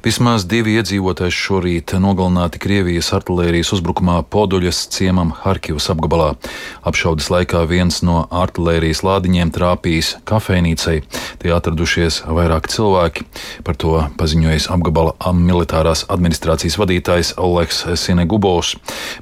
Vismaz 2 iedzīvotāji šorīt nogalināti Krievijas artilērijas uzbrukumā Poduļas ciemam Harkivas apgabalā. Apšaudes laikā viens no artilērijas lādiņiem trāpījis kafejnīcai. Tie atradušies vairāki cilvēki. Par to paziņojis apgabala militārās administrācijas vadītājs Oleks Sinegubovs.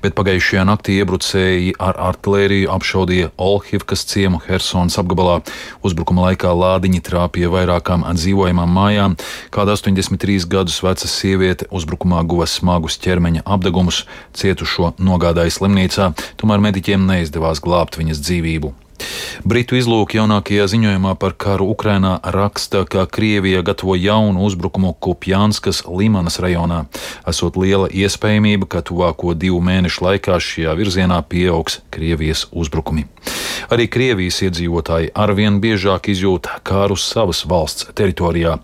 Bet pagājušajā naktī iebrucēji ar artilēriju apšaudīja Olhivkas ciemu Hersonas apgabalā. Uzbrukuma laikā lādiņi trāpīja vairākām dzīvojamām mājām. Kāda 83 gadus veca sieviete uzbrukumā guva smagus ķermeņa apdegumus, cietušo nogādāja slimnīcā, tomēr mediķiem neizdevās glābt viņas dzīvību. Britu izlūki jaunākajā ziņojumā par karu Ukrainā raksta, ka Krievija gatavo jaunu uzbrukumu Kupjanskas Limanas rajonā. Esot liela iespējamība, ka tuvāko 2 mēnešu laikā šajā virzienā pieaugs Krievijas uzbrukumi. Arī Krievijas iedzīvotāji arvien biežāk izjūt kāru savas valsts teritorijā.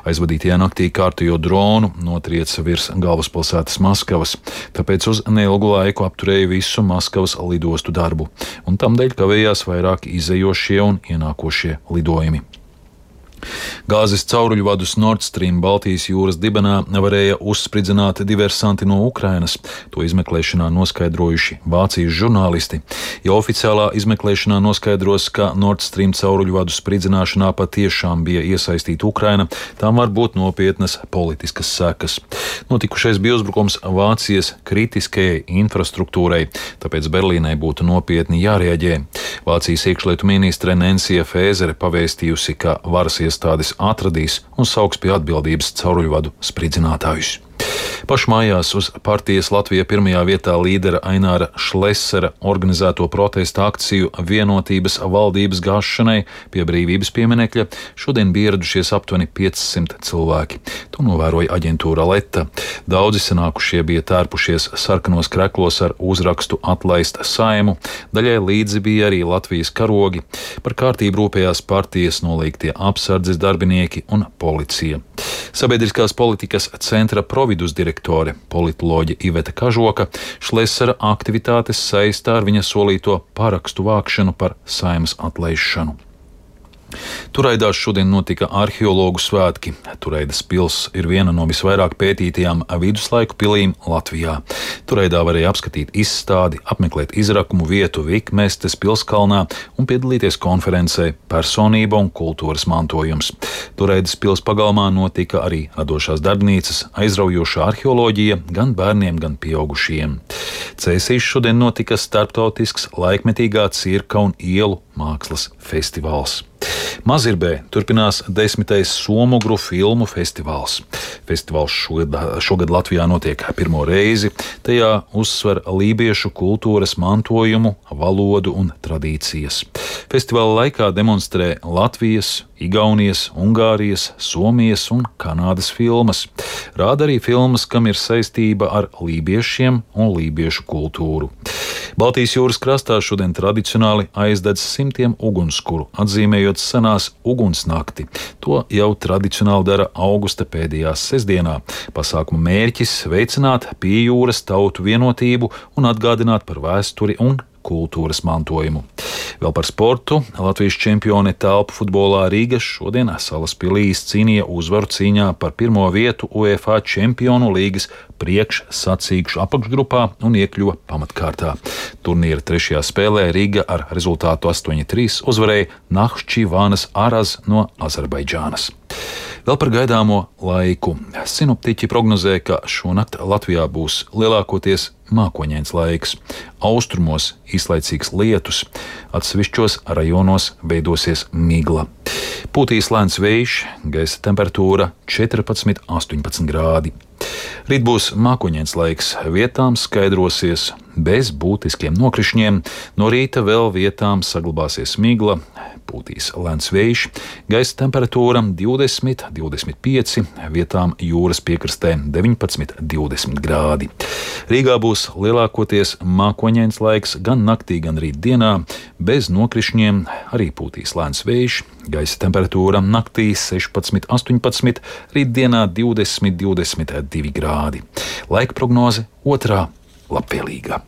Aizvadītajā naktī kārtējo dronu notrieca virs galvaspilsētas Maskavas, tāpēc uz neilgu laiku apturēja visu Maskavas lidostu darbu, un tamdēļ kavējās vairāk izejošie un ienākošie lidojumi. Gāzes cauruļvadus Nord Stream Baltijas jūras dibenā varēja uzspridzināt diversanti no Ukrainas. To izmeklēšanā noskaidrojuši Vācijas žurnālisti. Ja oficiālā izmeklēšanā noskaidros, ka Nord Stream cauruļvadu spridzināšanā patiešām bija iesaistīta Ukraina, tam var būt nopietnas politiskas sekas. Notikušais bija uzbrukums Vācijas kritiskajai infrastruktūrai, tāpēc Berlīnai būtu nopietni jārēģē. Vācijas iekšlietu ministre Nensija Fēzere pavēstījusi, ka varas iestādes atradīs un sauks pie atbildības cauruļvadu spridzinātājus. Pašmājās uz partijas Latvija pirmajā vietā līdera Aināra Šlesera organizēto protesta akciju vienotības valdības gāšanai pie brīvības pieminekļa šodien bija ieradušies aptuveni 500 cilvēki. To novēroja aģentūra Leta. Daudzi sanākušie bija tērpušies sarkanos kreklos ar uzrakstu Atlaist Saimu, daļai līdzi bija arī Latvijas karogi. Par kārtību rūpējās partijas nolīgtie apsardzes darbinieki un policija. Sabiedriskās politikas centra providus direktore, politoloģe Iveta Kažoka, Šlesera aktivitātes saistā ar viņa solīto parakstu vākšanu par Saeimas atlaišanu. Turaidās šodien notika arheologu svētki. Turaidas pils ir viena no visvairāk pētītajām viduslaiku pilīm Latvijā. Turaidā varēja apskatīt izstādi, apmeklēt izrakumu vietu Vikmestes pilskalnā un piedalīties konferencē Personība un kultūras mantojums. Turaidas pils pagalmā notika arī radošās darbnīcas, aizraujoša arheoloģija gan bērniem, gan pieaugušiem. Cēsīs šodien notika starptautisks laikmetīgā cirka un ielu mākslas festivāls. Mazirbē turpinās 10. Somugru filmu festivāls. Festivāls šogad Latvijā notiek pirmo reizi. Tajā uzsver lībiešu kultūras mantojumu, valodu un tradīcijas. Festivāla laikā demonstrē Latvijas, Igaunijas, Ungārijas, Somijas un Kanādas filmas. Rāda arī filmas, kam ir saistība ar lībiešiem un lībiešu kultūru. Baltijas jūras krastā šodien tradicionāli aizdedz simtiem ugunskuru, atzīmējot senās ugunsnakti. To jau tradicionāli dara augusta pēdējā sestdienā. Pasākuma mērķis veicināt pie jūras tautu vienotību un atgādināt par vēsturi un kultūras mantojumu. Vēl par sportu. Latvijas čempione telpu futbolā Rīga šodien Salaspilī izcīnīja uzvaru cīņā par pirmo vietu UEFA Čempionu līgas priekšsacīkšu apakšgrupā un iekļuva pamatkārtā. Turnīra 3. spēlē Rīga ar rezultātu 8-3 uzvarēja Nahčivānas Araz no Azerbaidžānas. Vēl par gaidāmo laiku. Sinoptiķi prognozē, ka šonakt Latvijā būs lielākoties mākoņains laiks. Austrumos īslaicīgs lietus, atsevišķos rajonos veidosies migla. Pūtīs lēns vējš, gaisa temperatūra 14–18 grādi. Rīt būs mākoņains laiks, vietām skaidrosies bez būtiskiem nokrišņiem, no rīta vēl vietām saglabāsies migla, pūtīs lēns vējš, gaisa temperatūra 20–25, vietām jūras piekrastē 19–20 grādi. Rīgā būs lielākoties mākoņains laiks gan naktī, gan rītdienā, bez nokrišņiem, arī pūtīs lēns vējš, gaisa temperatūra naktī 16–18, rītdienā 20–22 grādi. Laika prognoze 2. labvēlīga.